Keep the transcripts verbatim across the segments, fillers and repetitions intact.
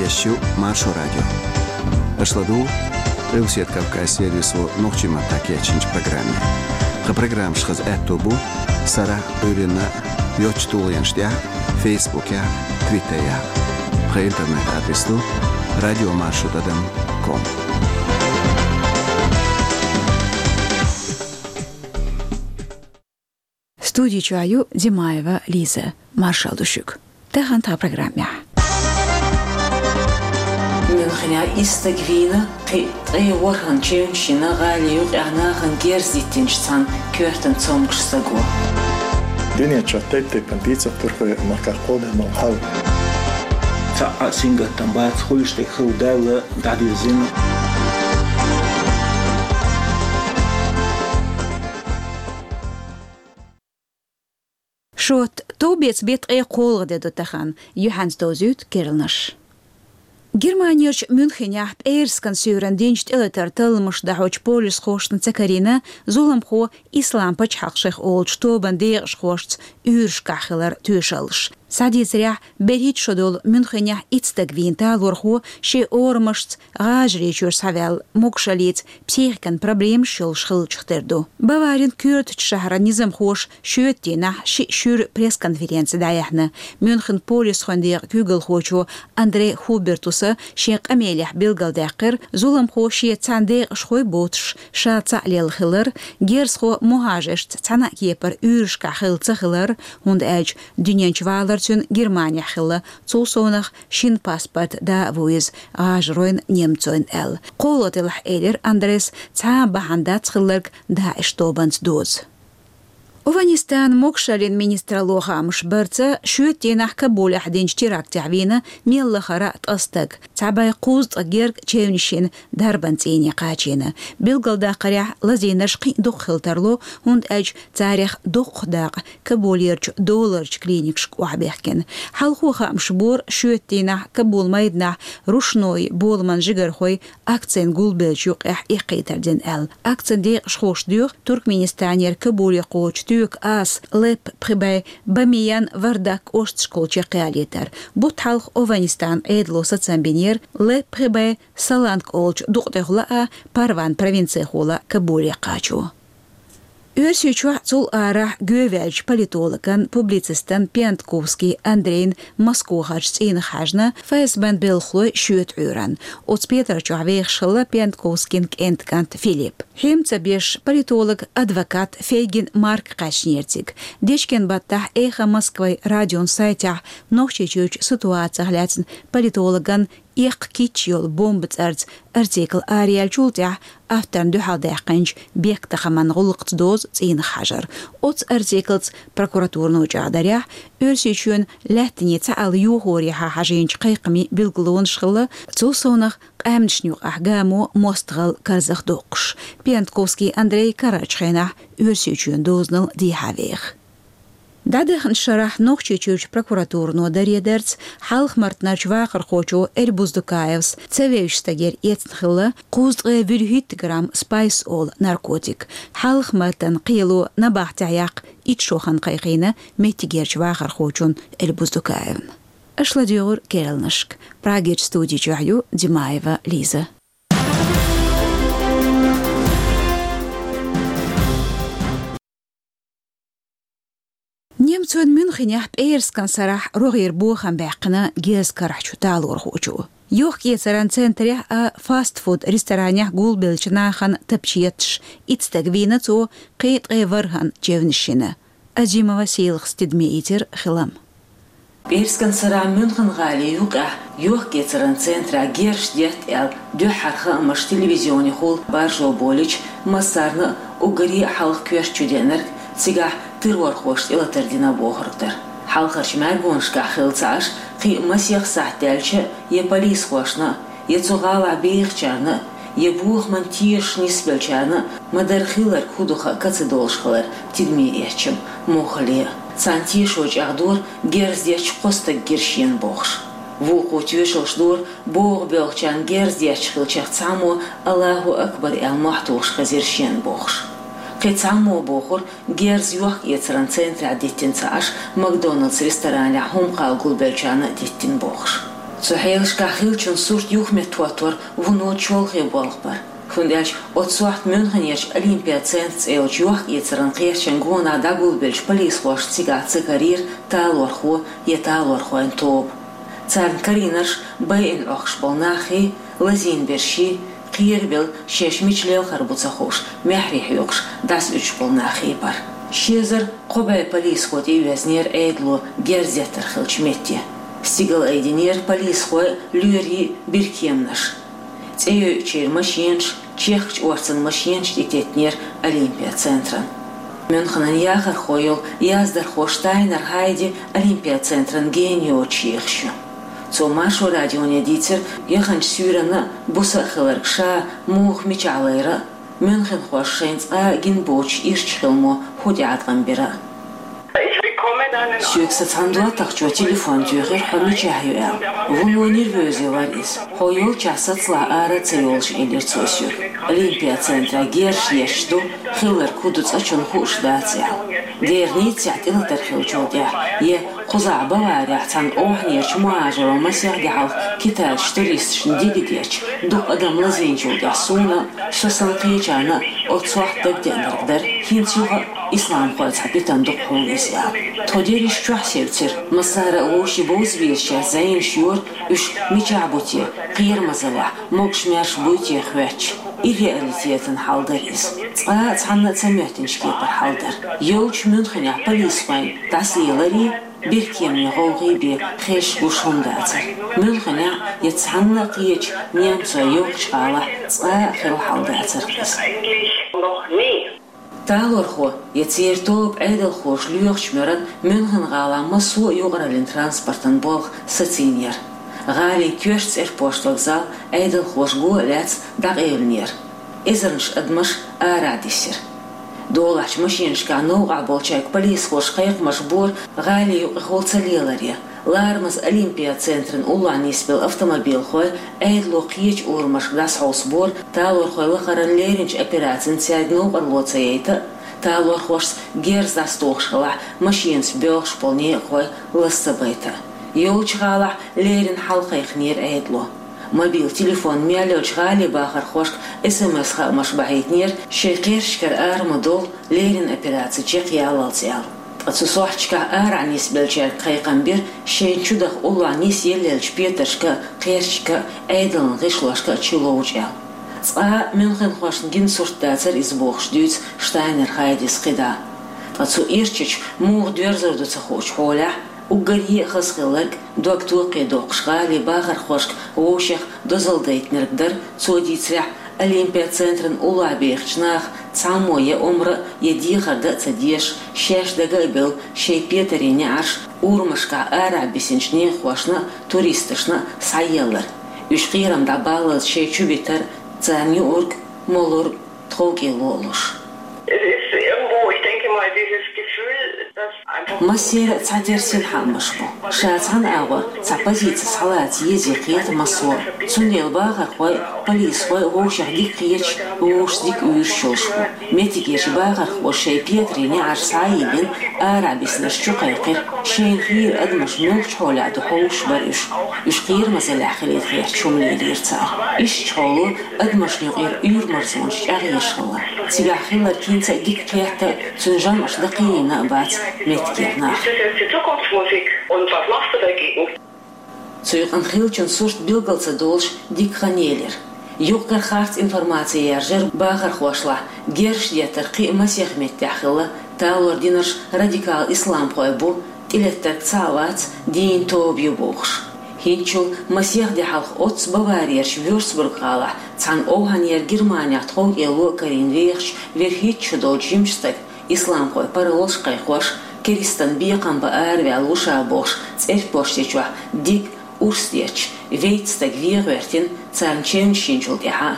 Шу Маршо радио. Аша ладугӀу Къилбаседа Кавказан сервисо нохчийн маттахь кечйинчу программе. Тхан программаш хаза аьтто бу сарахь а, Ӏуьйранна а йоцчу тулгӀенаш тӀехь а, Фейсбукехь а, Твиттерехь а. Тхан интернет-адрес ду радиомаршо тӀадам ком. Студи чохь ю Димаева Лиза. Маршалла ду шуьга. Тахана тхан программехь. Мюнхенехь исс стаг вийна, кхин а ткъе ворхӀанна чевнаш йина гӀалин юкъехь нахана герз диттинчу цхьана коьртан цомгуш стага. Дуьнен чохь тайп-тайпана дийцар турхойн махках кхолладаьлла хьал. Цхьа а сингаттам бац, хуьлуш дерг хилла даьлла, дӀадирзина. Шот товбеца беттан ткъе кхоалгӀа де ду тахана, юьхьанца довзуьйту керланаш. Германерчу Мюнхенехь пӀераскан суьйранна динчу тӀелатаран талламаш дахьочу полисхошна ца карийна зуламхо Ислам пачхьалкх шайх олучу тобан декъашхошца уьйрашкахь хиларан тоьшаллаш. Схьадийцарехь, берхӀитта шо долу Мюнхенехь итт стаг вийна талорхо шен орамашца ГӀажарийчуьра схьаваьлла могушаллица психикан проблемаш йолуш хиллачух тера ду. Баварин коьртачу шахьаран низамхоша шоьтан дийнахь шиъ шуьйра пресс-конференци дӀаяьхьна. Мюнхен полисхойн декъан куьйгалхочо Андрей Хубертуса шен къамелехь билгалдаьккхира, зуламхо шен цхьана декъашхой боцуш ша цхьаъ лелла хилар, герзахо мухӀажаршца цхьана а кепара уьйрашкахь хилла ца хилар, хӀунда аьлча дуьнен чу валар цуьнан Германехь хилла, цул совнах шина паспорт да а ву иза, гӀажаройн, немцойн аьлла. Кхолла делахь, элира Андрейс, цхьа а бахьана дац хилларг ДАИШ тобанца доза. ОвхӀанистанан могушаллин министралло хаамаш барца, шоьтан дийнахь Кабулехь динчу терактехь вийна мел лахара а ткъа стаг, цхьа бӀе кхузткъа герга чевнаш йина дарбан цӀийне кхачийна. Билгалдаккхарехь, лазийнарш кхин а дукха хила тарло, хӀунда аьлча царех доккхах дакъа Кабулерчу доларчу клиникашка охьабехкина. Хьалхо хаамаш бора, шоьтан дийнахь Кабул майданахь рушной боламан жигархой акцина гулбеллачу юкъехь эккхийтар дина аьлла. Акцин декъашхоша доьху Туркменистанера Кабуле кхочу тоька аса, ЛЭП пхи бӀе, Бамиян, Вардак кӀошташкахула чекхъялийтар. Бутт хьалха ОвхӀанистанан Ӏедало сацам бинера ЛЭП пхи бӀе Саланг олучу дукъ тӀехула а, Парван провинцехула Кабуле кхачо. Оьрсийчохь, цул арахь гоьваьллачу политологан, публицистан Пиантковский Андрейн Москвахарчу цӀийнах хьаьжна ФСБ-н белхалой шоьтан Ӏуьйранна. Оцу петар чохь вехаш хилла Пиантковскийн кӀентан кӀант Филипп. ХӀинца беш политолог, адвокат Фейгин Марк кхаьчнера цига. Дечкен баттахь «Эхо Москвы» радион сайтехь Нохчийчуьрчу ситуацих лаьцна политологан «Эккха кийча йолу бомба» цӀарца артикл араяьллачул тӀаьхьа авторна дуьхьалдаьккхинчу бехктакхаман гӀуллакхца дозу цӀийнах хьажар. Оцу артиклца прокуратурано чӀагӀдарехь, Оьрсийчоьнан лаьттанийн цхьаалла йохорехьа хьажийначу кхайкхамийн билгалонаш хилла, цул совнах къаьмнашна юкъахь гамо мостагӀалла карзахдоккхуш. Пиантковский Андрей карарчу хенахь Оьрсийчоьнан дозанал дехьа веха. ДӀадаханчу шарахь Нохчийчуьрчу прокуратурано даре дарца, Хьалха-Мартанарчу вахархочо Эльбуз Дукаевс ца вевзачу стагера эцна хилла кхузткъе вуьрхӀитта грамм спайс олу наркотик. Хьалха-Мартан кхело набахтехь яккха итт шо хан кхайкхийна меттигерчу вахархочун Эльбуз Дукаевн. Аша ладуьйгӀура керланашка. Прагерчу студи чохь ю Димаева Лиза. Немцойн Мюнхенехь пӀераскан сарахь рогӀера бохам баьккхина герз карахь чу талорхочо. Йохк-эцаран центрехь а, фастфуд ресторанехь гулбеллачу нахана тапча етташ итт стаг вийна цо, кхин а ткъе ворхӀанна чевнаш йина. Азимова Сийлахас тидаме ийцира хилам. ПӀераскан сарахь Мюнхен-гӀалин юкъехь йохк-эцаран центрехь герзаш детта аьлла дуьххьара хаамаш телевизионехула баржо болуьйтуш, массарна а уггаре а хьалха коьрта чу деанарг цигахь террорхоша тӀелатар дина бохург дара. Хьалхарчу маьргонашкахь хилла ца Ӏаш, кхин а масех сахьт даьлча а, я полисхошна а, я цу гӀалахь бехачарна а, я бохаман тешаш нисбеллачарна а ма-дарра хилларг хӀун ду хаа ца долуш хилар тидаме эцча а, муххале а. Царна тешо чӀагӀдора герз детташ кхо стаг гира шена бохуш. Вукхо тоьшаллаш дора богӀу боьлхучарна герз детташ хиллачех цхьаммо «Аллаху акбар» аьлла мохь тухуш хезира шена бохуш. Кхин цхьаммо бохура, герз йохк-эцаран центрехь диттина ца Ӏаш, Макдоналдс ресторанехь хӀума кхалла гулбеллачарна а диттина бохуш. Цу хьелашкахь хиллачун сурт юхаметтахӀоттор вуно чолхе болх бар. ХӀунда аьлча оццу сохьта Мюнхенерчу Олимпия центр цӀе йолчу йохк-эцаран кхерчан гонах дӀагулбеллачу полисхошна цигахь ца карийра талорхо я талорхойн тоба. Царна карийнарш байина Ӏохкуш болу наххий, лазийна берший, кхерабелла шаьш мича лелхар бу ца хууш, маьхьарий хьоькхуш, дӀасауьдуш болу наххий бара. Ши эзар кхо бӀе полисхо тӀеоьзнера Ӏедало герз деттар хиллачу метте. Стигала айдинера полисхой, лоьрийн биркеманаш. ЦӀе йойучеран машенаш, чехкачу орцан машенаш тӀететтинера Олимпия центран. Мюнхенан яхархо йолу яздархо Штайнер Хайди Олимпия центран гена йоцуш ехаш ю. Цо Маршо радионе дийцира яханчу суьйранна а, буса а хилларг ша муха мичахь лайра а, мюнхенхоша шайна цкъа а гина боцуш ирча хиламо хӀун тӀеӀаткъам бира а. Соьга сан цхьана доттагӀчо телефон туьйхира, хьо мичахь ю аьлла. Вуно нервозе вара иза. Хьо йолчохь сацалахь ара а ца йолуш, элира цо соьга. Олимпия центрехь герзаш детташ ду, хилларг хӀун ду цкъачунна хууш дац аьлла. Дера Ниццехь тӀелатар хиллачул тӀаьхьа, я кхузахь Баварехь цхьана охьанерчу мухӀажаро масех де хьалха китайцу туристашна дига детташ, дукха адам лазийначул тӀаьхьа суна а, со санна кхечарна а оццу сохьта дагадеанарг дара, хӀинца юха а исламхойн цхьа питана ду-кх хьуна иза аьлла. Тхо дерриш чохь севцира, массара а вовшийн бовза везачаьрца зӀенаш йора, уьш мичахь бу те, кхерамазаллехь, могуш-маьрша буй те хоьттуш. Ирреалитетан хьал дара иза. Цкъа а цхьанна а ца моьттинчу кепара хьал дара. Йолчу Мюнхенехь полисхойн дӀасалеларий, биркеманийн гӀовгӀий бен хезаш гуш хӀума дацара. Мюнхенехь я цхьанна а кхечу немцойн йоккхачу гӀалахь цкъа а хилла хьал дацара иза. Талорхо я церан тоба Ӏедалхоша лоьхучу муьрана Мюнхен-гӀалахь массо а юкъараллин транспортан болх сацийнера. ГӀалин коьртачу цӀерпошт вокзал Ӏедалхоша го а лаьцна дӀакъевлинера. Эзарнаш адамаш арахь дисира. Долахьчу машенашкахь новкъахь болчаьрга полисхоша кхайкхамаш бора гӀали юкъахула ца леларе. Ларамаза Олимпия центран уллохь нисбелла автомобилхой Ӏедало кхечу урамашка дӀасахьовсабора талорхойн лахаран леринчу операцина цаьрга новкъарло ца яйта а, талорхошца герз дӀасатухуш хилахь, машенаш боьлхуш болу некъахой лаза ца байта а. Йолчу гӀалахь леррина хьал кхайкхинера Ӏедало. Мобил телефон мел йолчу гӀалин бахархошка эс эм эс хаамаш бахьийтинера, шайн кхерчашкара ара ма довла, леррина операци чекхъяллалц аьлла. Ткъа цу сохьташкахь арахь нисбеллачаьрга кхайкхам бира, шайна чу даха уллохь нисъеллачу петаршка а, кхерчашка а, Ӏедалан гӀишлошка а чу ловча аьлла. Цкъа а мюнхенхошна гина сурт дацара иза бохуш дуьйцу Штайнер Хайдис кхидӀа. Ткъа цу ирчачу муха доьрзур ду ца хуучу хьолехь, уггаре а хазахилларг, дог токхе доккхуш гӀалин бахархошка вовшех дозалла дайтинарг дара, цо дийцарехь, Олимпия центран уллохь бехачу наха цхьаммо я омра а, я дехар дан а ца дезаш, шаьш дага а белла, шайн петарийн неӀарш урамашкахь арахь бисинчу некъахошна а, туристашна а схьаеллар. Уьш кхерам дӀабаллалц шайн чу битар, царна юург, молург, тховкӀело а луш. Es ist irgendwo, ich denke mal, dieses Gefühl, dass einfach Массеран а цхьатерра синхаамаш бу. Ша цхьана агӀор цхьа позици схьалаца еза кхета массо а. Цундела бахархой а, полисхой а вовшех дика кхеташ, вовшашца дика уьйраш йолуш бу. Меттигерчу бахархоша шайн петарийн неӀарш схьа а йиллина, арахь бисинарш чу кхайкхира, шайна хийра адамаш муьлхачу хьолехь ду хьовсуш бара уьш. Уьш кхерамазаллехь хилийта гӀерташ хӀума лелийра цара. Ишттачу хьоло адамашна юкъара уьйр-марзонаш чӀагӀъеш хилла. Цигахь хилларг хӀинца а дика кхетта а, цуьнан жамӀаш дан кхиийна а бац меттигера нах. Das ist jetzt die Zukunftsmusik. Und was machst du dagegen? Цу юкъана хиллачун сурт билгал ца долуш дика хан елира. Юкъ-кара харц информаци яржара бахархошлахь, герзаш деттар кхин а масех меттехь хилла, талор динарш радикал исламхой бу, тӀелеттарг цхьаъ вац, дийна тоба ю бохуш. ХӀинцачул масех де хьалха оццу Баварерчу Вюрцбург-гӀалахь цхьана овхӀанера Германехь тховкӀело а карийна вехачу вуьрхӀитта шо долчу жимачу стага, исламхойн паролаш кхайкхош, керстанан бекхам бан араваьлла ву ша бохуш, цӀерпошти чохь дика урс детташ, вейтта стаг вен гӀоьртина, царна чевнаш йинчул тӀаьхьа.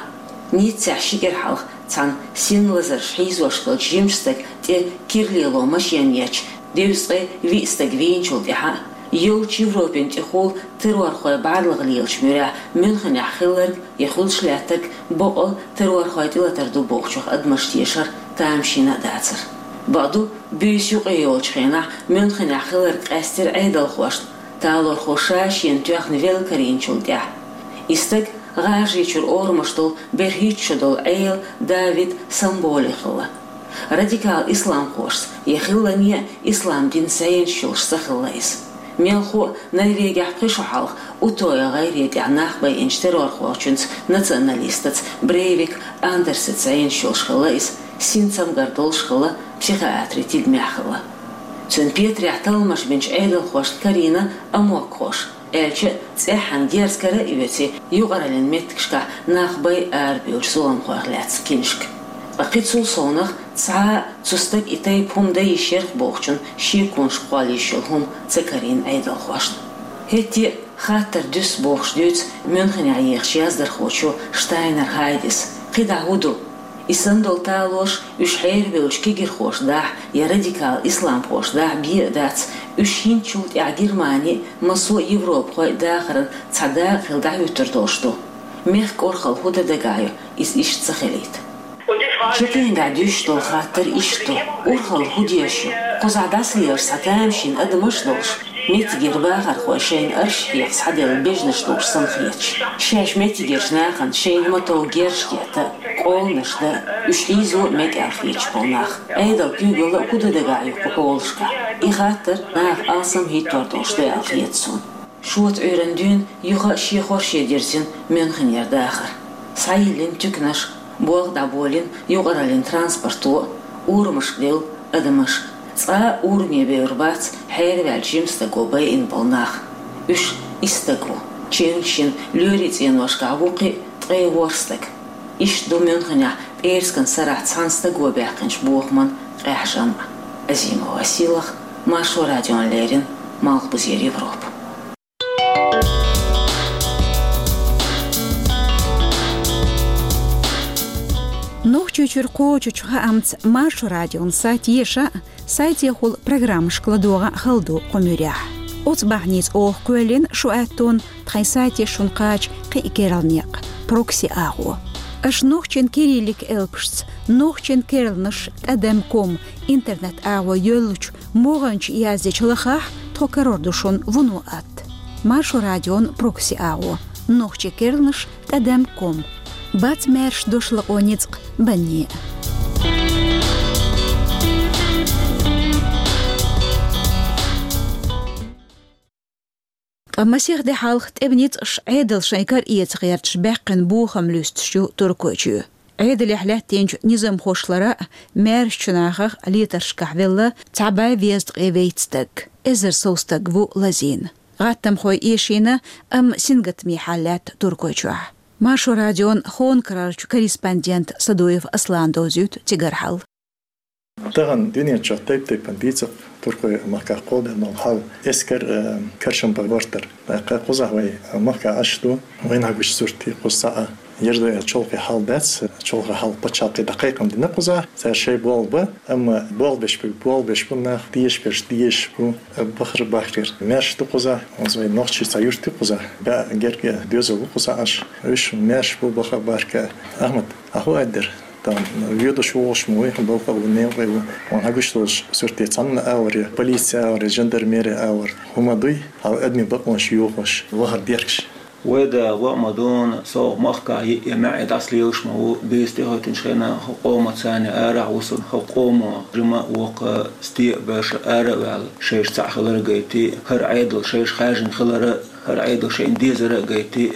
Ниццехь ши кӀира хьалха цхьана син лазарш хьийзош хиллачу жимачу стага тӀе кира лело машен етташ, дезткъе виъ стаг вийначул тӀаьхьа, йолчу Европин тӀехула террорхойн бӀарлагӀа лелачу муьрехь Мюнхенехь хилларг я хуьлуш лаьттарг бакъ а террорхойн тӀелатар ду бохучух адамаш тешар тамашийна а дацара. Бакъду, буьйса юкъе йолчу хенахь Мюнхенехь хилларг къаьстира Ӏедалхошна, Талорхо ша шена тоьхна велла карийначул тӀехьа. И стаг ГӀажарийчуьра орамаш долу берхӀитта шо долу Ӏела Давид Самболи хилла. Радикал исламхошца я хиллане а ислам динца зӀенаш йолуш ца хилла иза. Мелхо а Норвегехь пхи шо хьалха Утойя гӀайре тӀехь нах байинчу террорхочуьнца националистаца Брейвик Андерсаца зӀенаш йолуш хилла иза, синцамгар долуш хилла, психиатрийн тидамехь хилла. Цуьнан петарехь талламаш бинчу Ӏедалхошна карийна амокхоша, аьлча а цӀеххьана герз кара а оьций, юкъараллин меттигашкахь нах бай арабевллачу зуламхойх лаьцна киншка. Ткъа кхин цул совнах цхьа а цу стага и тайпа хӀума дан йиш ярх бохучун шеконаш кхолла йиш йолу хӀума ца карийна Ӏедалхошна. ХӀетте а хаттар дуьсу бохуш дуьйцу Мюнхенехь ехачу яздархочо Штайнер Хайдис. КхидӀа хӀун ду? И санна долу талораш уьш хьерабевллачу кегирхоша дахь я радикал исламхоша дахь бен а дац, уьш хӀинцачул тӀаьхьа Германи а, массо а европахой а дахаран цхьа дакъа хилла дӀахӀуьттур долуш ду. Мехкан урхалла хӀун дан дагахь ю, иза иштта ца хилийта? Чекхенгахь дуьсуш долу хаттар иштта ду: урхалла хӀун дезаш ю? Кхузахь дӀасалелаш цхьа тамашийна адамаш а долуш, меттигера бахархой шайна арш хьекха схьаделла бежанаш лууш санна хеташ, шаьш меттигерчу нахана шайна ма-тов герзаш детта а, къоланаш дан а, уьш хьийзо а мега аьлла хеташ болу нах. Ӏедалан куьйгалла а хӀун дан дагахь ю кху хьолашкахь? И хаттар наха алсам хӀиттор долуш ду аьлла хета суна. Шота Ӏуьйранна дуьйна юха а шен хорше дирзина Мюнхенера дахар. Схьайиллина туьканаш, болх дӀаболийна юкъараллин транспорто а, урамашка девлла адамаш. Цкъа а ураме бевр бац хьераваьллачу жимастаго байина болу нах. Уьш исс стаг ву. Чевнаш йина лоьрийн цӀеношкахь вукху а ткъе ворхӀ стаг. Иштта ду Мюнхенехь пӀераскан сарахь цхьана стаго баьккхинчу бохаман къаьхьа жамӀ. Азимова Сийлаха, Маршо радиона леррина, Малхбузера Европа. Нохчийчуьра кхочучу хаамца Маршо радион сайт еша а, сайтехула программашка ладогӀа а хала ду кху муьрехь. Оцу бахьаница оха кхоьллина шу аьттонна тхайн сайте шуна кхача кхин а керла некъ, прокси агӀо. Аша нохчийн кириллик элпашца нохчийн керланаш тӀадам ком интернет агӀо йоьллучу могӀанчу яздечу лахахь тхо карор ду шуна вуно атта. Маршо радион прокси агӀо: нохчийн керланаш тӀадам ком. Бац маьрша дошлакъо ницкъ банне а. Ткъа масех де хьалха тӀеман ницкъаша Ӏедал шайн кара эца гӀерташ баьккхина бохам луьстуш ю Туркойчоь. Ӏедалехь лаьттинчу низамхошлара а, маьршачу нахах а летаршкахь велла цхьа бӀе везткъе вейтта стаг. Эзар сов стаг ву лазийна. ГӀаттамхой эшийна, амма сингаттаме хьал лаьтта Туркойчохь. Маршо радион Хонкарарчу корреспондента Садоев Аслана довзуьйту цигара хьал. Тахана дуьнен чохь тайп-тайпана дийцар туркойн махкахь кхолладаьлла долу хьал. Эскар, э, каршам бан гӀортар. ТӀаккха кхузахь вай махкахь Ӏаш ду, вайна хьагучу суртий кхуза цхьа а. Ерзо я чолхе хьал дац, чолхе хьал пачхьалкхе дӀакхайкхам дина кхузахь. Цара шайн болх бан, амма болх беш бу, болх беш бу нах, дезаш берш дезаш бу, бахар бахкар. Маьрша ду кхузахь, оцу вай нохчий цхьа юрт ю кхузахь. БӀе герга доьзал бу кхузахь Ӏаш. Уьш маьрша бу, бахар бахкар. Ахмат, ахьа хӀун аьлла дара? Там воьдуш вогӀуш ма ву, балха ву, некъа ву. Вайн хьагуш долуш сурте цхьанна а вара, полици а вара, жандармери а вара. ХӀума дуй, хьал адамийн бакъонаш йохош, вахар деркаш. Вай да ваъ ма дуна, со махкахь йиъ я маьӀе дӀасалелаш ма ву, бийца тӀехӀоьттинчу хенахь хӀокху къоман царна арахь вусург, хӀокху къомо жима а воккха стиъ а баьрша ара а ваьлла, шайша цхьаъ хилар а гайти, хӀара Ӏедал шайша хаьржина хилар а, хӀара Ӏедал шайна дезар а гайти,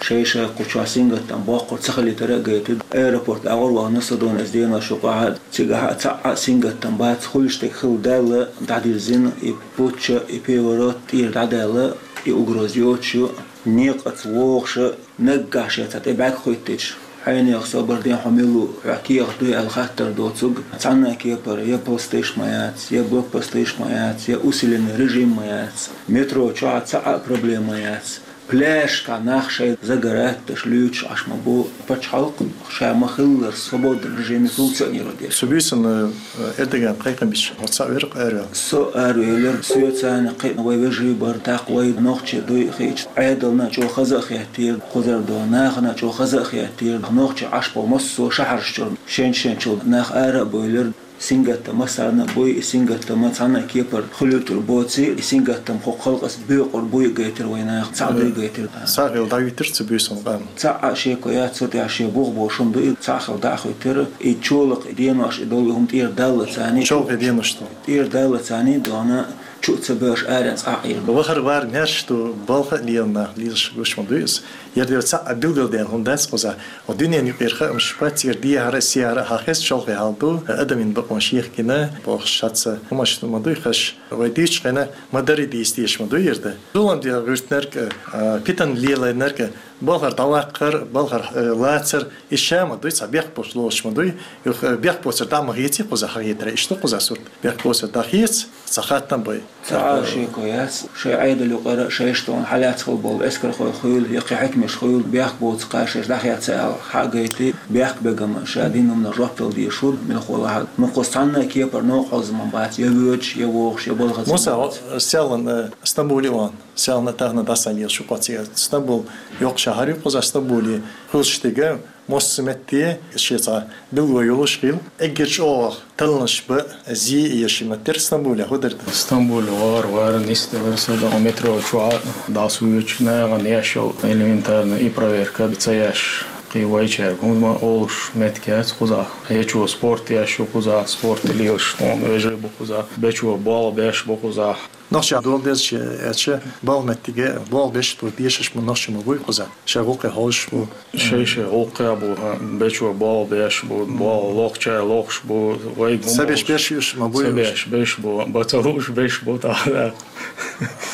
шайша кху чохь сингаттам боккхур ца хилийтар а гайти, аэропорт агӀор вахана со дуна иза денош юкъахь, цигахь а цхьа а сингаттам бац, хуьлуш дерг хилла даьлла, дӀадирзина, и путч а, и переворот тӀера дӀадаьлла, и угроза йоцуш ю, некъаца вогӀуш а, наггахь шен цхьа тӀе бӀаьрг хӀоьттича, хьенех собар ден хьо мила ву, хьох кехат дуй аьлла хаттар доцург, цхьанна а кепара я посташ ма яц, я блокпосташ ма яц, я усиленный режим ма яц. Метро чохь а цхьа а проблема яц. Пляжашкахь нах шайн загар атташ, луьйчуш Ӏаш ма бу. Пачхьалкх ша ма-хиллара свободный режиме функционировать деш. Цу буьйсанна, э, Эрдоган кхайкхам бича, хьо цхьаъ вира-кх араваьлла? Со аравелира, соьца цхьана кхин вай вежарий бара, тӀаккха вай нохчий дуй а хиъча, Ӏедална а чӀогӀа хаза а хеттера, кхузара долу нахана а чӀогӀа хаза а хеттера, нохчий Ӏаш болу массо а шахьарш чуьра шен-шен чуьра нах ара а бевлира. Сингаттам массарна буй, и сингаттам цхьанна кепара хуьлуьйтур боций, и сингаттам кху халкъаца боькъур буй гайтира вай наха, цхьаъ дуй гайтира. Цхьаъ хила дӀавитира цу буьйсанна къам. Цхьаъ а шеко яц, цу тӀехь шен бух бошум ду, и цхьаъ хила дӀа а хуьттира, и чолакх, и денош, и долу хӀума тӀера далла царний. Чолхе денош ду. ТӀера далла царний дона, чу а ца беш, арен цкъа а Ӏийр. Вахар вар маьрша ду, балха а лела нах, лелаш гуш ма дуй иза. Яр дера цхьаъ а билгалден хӀума дац кхуза. О дуьнен юкъера хаамаш шпацера дехьара, сехьара хьан хеза чолхе хьал ду, адамийн бакъонаш ехкина, бохуш шаца хӀумаш ма дуй хаш. Вай дийчу хенахь ма дарий дийца дезаш ма дуй яр да. Зулам де гӀуьртнарг а, питана лелайнарг а, балхара дӀаваккхар, балхара, э, лацар, и ша ма дуй, цхьа бехк боцуш лоцуш ма дуй, юха, э, бехк боцар дӀа ма хеций кхуза хьан хетара, иштта кхуза сурт. Бехк боцар дӀахеца, цхьа хатта а бай. Цхьа а шеко яц, шайн Ӏедал юкъара, шайшта тӀехь хьалаьцна хила болу эскархой хуьлу, я кхин хьаькамаш хуьлу, бехк боцу кхаьшаш дӀахецна аьлла, хьа а гайти, бехк бегама ша дина хӀуманах жоп дала дезаш хӀу, мила хьолахь а. Мукъа цхьанна а кепара новкъа хьоза ма бац, я воьдуш, я вогӀуш, я балхаза. Муса, ма бац. Селлан, э, Стамбуле ван, селлан тахана дӀасалелаш ю кхо цига. Стамбул йоккха шахьар ю кхуза, Стамбуле хуьлуш дерг. Массо а метте шен цхьа билгало йолуш хила. Эггара чӀогӀа талланаш бан зи еш ма тера Стамбуле хӀу дара. Стамбуле вахар вара нисделар сан дагӀа метро чохь а дӀасавоьдуш, нахана еш йолу элементарно и проверка ца еш. Кхин вайчаьрга хӀума олуш меттиг яц кхузахь. Кхечо спорт еш ю кхузахь, спорт лелаш тхуна вежарий бу кхузахь, бечо болх беш бу кхузахь. Нохчий дола деза аьлча, балха меттиге болх беш бу, дешаш ма нохчий ма буй кхуза. Шайн гӀуллакхе хьожуш бу. Шай-шай гӀуллакхе бу, хьан, бечо болх беш бу, болх лохча лохуш бу, вайга ца беш беш уьш ма буй. Ца беш беш бу, бац лууш беш бу, тахана.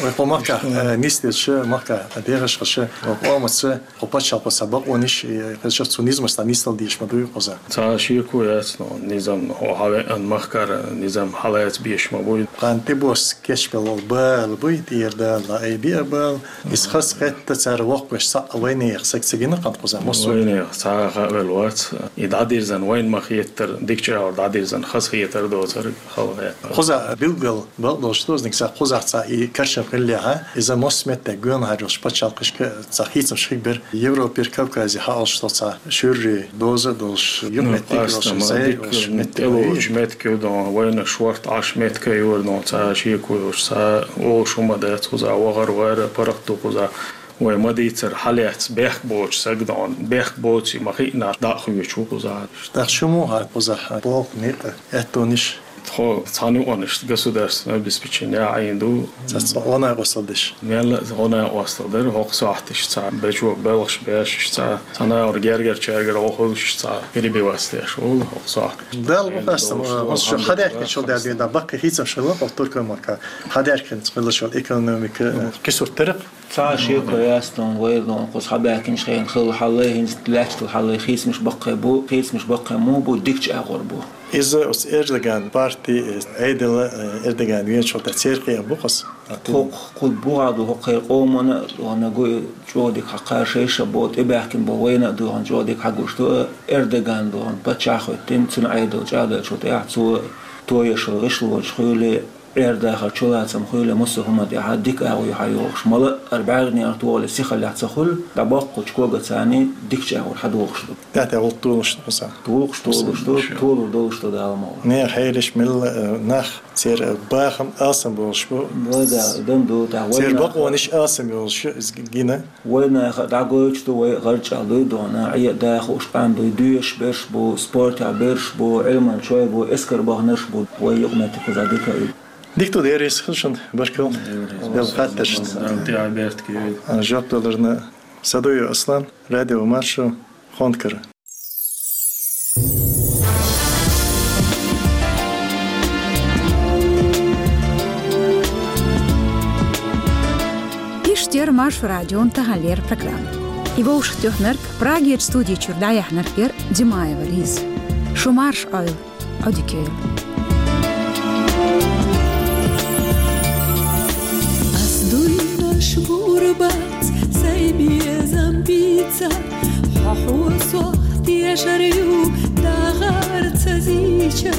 Вай кху махкахь, э, нисдеш, махкахь дехаш хилча, вай къомаца, кху пачхьалкхо цхьа бакъонаш, э, хезча цу низамаш цхьа нисдала дезаш ма дуй кхуза. Цхьа шеко яц, но низам, хьо хьан веана махкара низам хьалаца беш ма буй. Кхана тӀебосса кечбелла бала буй, тӀера Дала ай биа бала. Иза хазахетта цара воккхавеш цхьаъ вайнех саг ца гина кхана кхуза массо. Вайнех цхьа а хаавелла вац. И дӀадирзан вайна ма хетара, дикачу агӀор дӀадирзан хазахетар доцург хала хетта. Кхуза билггал бакъдолуш дозаниг ца кхузахь цхьа и карчам хиллехьа, иза массо а метте гоьнахьар йолуш пачхьалкхашка цхьа хийцамаш хиг бер. Европера, Кавказе хьаалуш долу цхьа шуьрри, доза а долуш, юкъаметтиг а йолуш, къаьстама, зай а дика йолуш меттиг тӀелоцу меттиг ю дон, вайна шорта Ӏаш меттиг а йора дон, цхьа шеко йолуш, цхьа олуш хӀума дац кхуза, вахар вара, паргӀат ду кхуза. Вай ма дийцара хьалаьцна бехк боцу саг дон, бехк боций ма хиънарш дӀа а хуьйцуш ву кхуза. ТӀаккха шу муха кхузахь болх, некъ, аьттонаш? Тхо цхьана юкъанашца государственное обеспечение а Ӏийна ду. Цхьа гӀо-накъостал деш. Мелла а гӀо-накъостал дара, хӀокху сохьташ цхьа бечо белхаш беш, цхьа цхьана агӀор гергара-чергара гӀо хуьлуш, цхьа перебиваться деш волу хӀокху сохьташ. Дала бу хастам, хӀун шу хьадаьхкинчул даьлла дийна, баккхий хийцамаш хилла, хӀокху Туркойн махка хьадаьхкинца хилла шуна экономика, кхисуртаракх. Цхьа шеко яц тхуна, вай дон кхуза хьабаьхкинчу хенахь хилла хьаллай, хӀинца лаьттал хьаллай хийцамаш баккхий бу, хийцамаш баккхий муха бу, дикачу агӀор бу. Иза оцу Эрдоган парти, Ӏедала, э, Эрдоган веначул тӀаьхьа церан кхиам бу-кх аса? Кху-, кху бухахь ду хӀокхеран къомана а, дона гуй чӀогӀа дика хьакхара шайша бо, тӀебаьхкина бо вайна а ду, хьан чӀогӀа дика хьагуш ду, Эрдоган ду, хьан паччахь а хӀоьттина, цуьнан Ӏедал чӀагӀдоьллачул тӀаьхьа цо тоеш гӀишлонаш хуьлий, Ӏер-дахар чулацам хуьлий, массо а хӀума тӀехьа дика агӀо ю хьан йохуш. Мала а ара бӀаьрганера тохале сихаллехь ца хуьлу, дӀабоккхучу кога царний дикачу агӀор хьадохуш ду. ТӀаьхьа гӀуллакх толуш ду кхуза. Толуш, толуш ду, толур долуш ду Дала мукъ лахь. Нехан хьелаш мелла, э, нах церан, э, бахам алсам болуш бу. Вай да, дан ду, тӀаьхьа вай церан нах бакъонаш алсам йолуш ю иза гина. Вай наха дӀагойтуш ду, вай гӀарчӀа дуй дона, Ӏе а даха уш къам дуй, доьшуш берш бу, спортехь берш бу, Ӏилман чой бу, эскар баханарш бу, вай юкъаметтиг кхуза дика а ю. Дика ду, деррис хила шуна, баркалла. Деррис. Делла хаттаршна. Дала тӀехь беркате йойла. Жоп даларна Садуев Аслан, Радио Маршо, Хонкара. Иштта яра Маршо радион таханлера программа. И вовшахтоьхнарг, Прагерчу студи чуьра дӀаяьхьнарг яра Димаева Лиза. Шу марша Ӏойла, Ӏодика йойла. Ас дуйнаш гур бац сайн безам бийца, хьо хьо сох тешар ю дахар ца зийча.